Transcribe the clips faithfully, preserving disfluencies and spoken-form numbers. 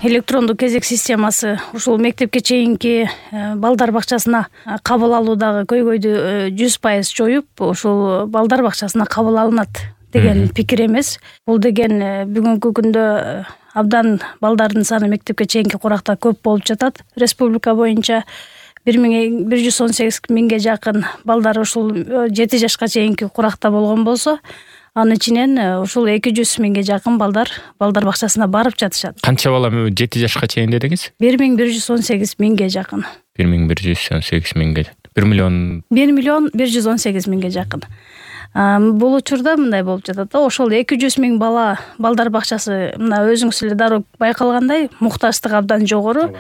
электрондук кезек системасы ушул мектепке чейинки балдар бакчасына кабыл алуудагы көйгөйдү жүз пайыз жоюп, ушул балдар бакчасына кабыл алынат деген пикир эмес. Бул деген бүгүнкү күндө абдан балдардын саны мектепке чейинки куракта көп болуп жатат. Республика боюнча бир миң бир жүз он сегиз миңге жакын балдар ушул жети жашка чейинки куракта болгон болсо, анын ичинен ушул эки жүз миңге жакын балдар балдар бакчасына барып жатышат. Канча бала жети жашка чейин дедиңиз? бир миң бир жүз он сегиз миңге жакын. бир миң бир жүз он сегиз миңге. бир миллион бир миллион бир жүз он сегиз миңге жакын. Бул учурда мындай болуп жатат да, ошол эки жүз миң бала балдар бакчасы мына өзүңүз эле дароо байкалгандай муктаждык абдан жогору.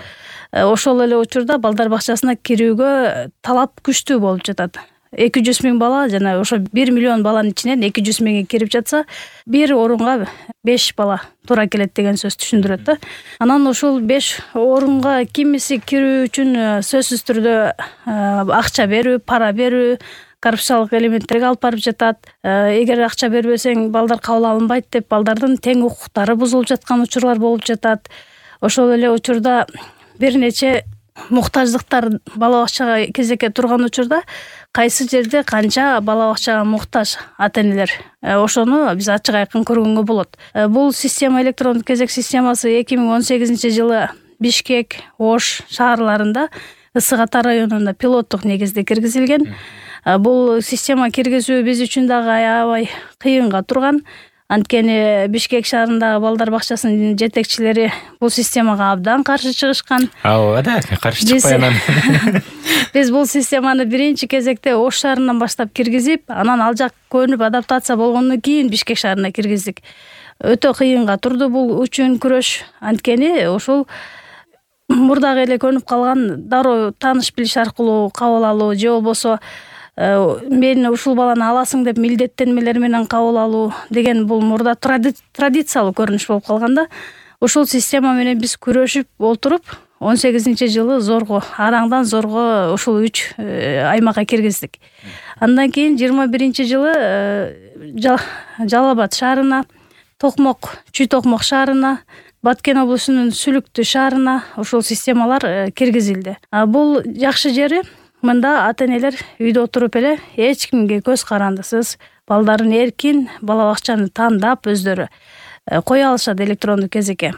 Ошол эле учурда балдар бакчасына кирүүгө талап күчтүү болуп жатат. эки жүз миң бала жана ошо бир миллион баланын ичинен эки жүз миңи кирип жатса, бир орунга беш бала туура келет деген сөз түшүндүрөт да. Анан ушул беш орунга кимиси кирүү үчүн сөзсүз түрдө акча берүү, пара берүү, коррупциялык элементтерге алып барып жатат. Эгер акча бербесең балдар кабыл алынбайт деп балдардын тең укуктары бузулуп жаткан учурлар болуп жатат. Ошол эле учурда бир нече муктаждыктар бала бакчага кезекке турган учурда кайсы жерде канча бала бакчага муктаж ата-энелер, ошону биз ачык айкын көргөнгө болот. Бул система, электрондук кезек системасы эки миң он сегизинчи жылы Бишкек, Ош шаарларында, Ысык Ата районунда пилоттук негизде киргизилген. Бул система киргизүү биз үчүн дагы аябай кыйынга турган. Анткени Бишкек шаарындагы балдар бакчасынын жетекчилери бул системага абдан каршы чыгышкан. Ооба да, каршы чыкпай анан. Биз бул системаны биринчи кезекте Ош шаарынан баштап киргизип, анан ал жак көнүп адаптация болгондон кийин Бишкек шаарына киргиздик. Өтө кыйынга турду бул үчүн күрөш. Анткени ошол мурдагы эле көнүп калган дароо тааныш билиш аркылуу кабыл алуу же болбосо мен ушул баланы аласың деп милдеттенмелер менен кабыл алуу деген бул мурда традициялуу көрүнүш болуп калганда, ушул система менен биз күрөшүп олтуруп он сегизинчи жылы зорго, араңдан зорго ушул үч аймакка киргиздик. Андан кийин жыйырма биринчи жылы Жалал Абад шаарына, Токмок, Чүй Токмок шаарына, Баткен облусунун Сүлүктү шаарына ушул системалар киргизилди. Бул жакшы жери мында ата-энелер үйдө отуруп эле эч кимге көз карандысыз балдарын эркин бала бакчаны тандап өздөрү кое алышат электрондук кезекке.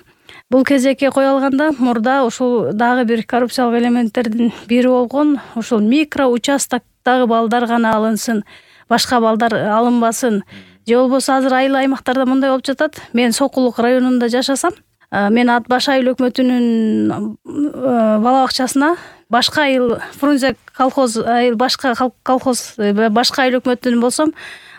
Бул кезекке кое алганда мурда ушул дагы бир коррупциялык элементтердин бири болгон, ушул микро участоктогу балдар гана алынсын, башка балдар алынбасын. Же болбосо азыр айыл аймактарда мындай болуп жатат. Мен Сокулук районунда жашасам, мен Ат Баш айыл өкмөтүнүн бала бакчасына башка айыл Фрунзе колхоз айыл башка колхоз башка айыл өкмөтүнүн болсом,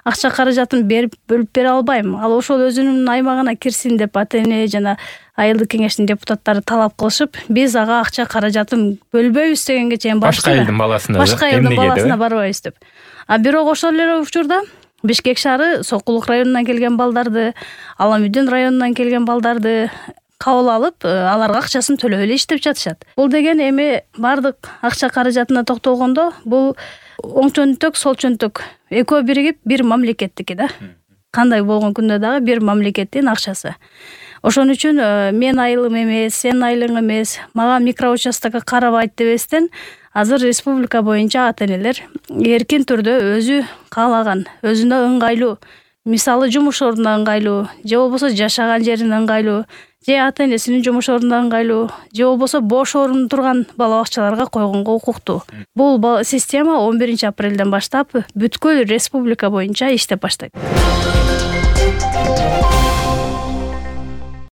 акча каражатын берип бөлүп бере албайм. Ал ошол өзүнүн аймагына кирсин деп ата-эне жана айылдык кеңештин депутаттары талап кылышып, биз ага акча каражатын бөлбөйбүз дегенге чейин барышты. Башка айылдын баласына, башка айылдын баласына барбайбыз деп. А бирок ошол эле учурда Бишкек шаары Сокулук районунан келген балдарды, Аламүдүн районунан келген балдарды кабыл алып, аларга акчасын төлөп эле иштеп жатышат. Бул деген эми бардык акча каражатына токтолгондо, бул оң чөнтөк, сол чөнтөк экөө биригип бир мамлекеттики да. Кандай болгон күндө дагы бир мамлекеттин акчасы. Ошон үчүн мен айылым эмес, сен айылың эмес, мага микроучастокко карабайт дебестен, азыр республика боюнча ата-энелер эркин түрдө өзү каалаган, өзүнө ыңгайлуу, мисалы жумуш ордуна ыңгайлуу, же болбосо жашаган жерине ыңгайлуу, же ата-энесинин жумуш ордуна ыңгайлуу, же болбосо бош орун турган бала бакчаларга койгонго укуктуу. Бул система он биринчи апрелден баштап бүткүл республика боюнча иштеп баштайт.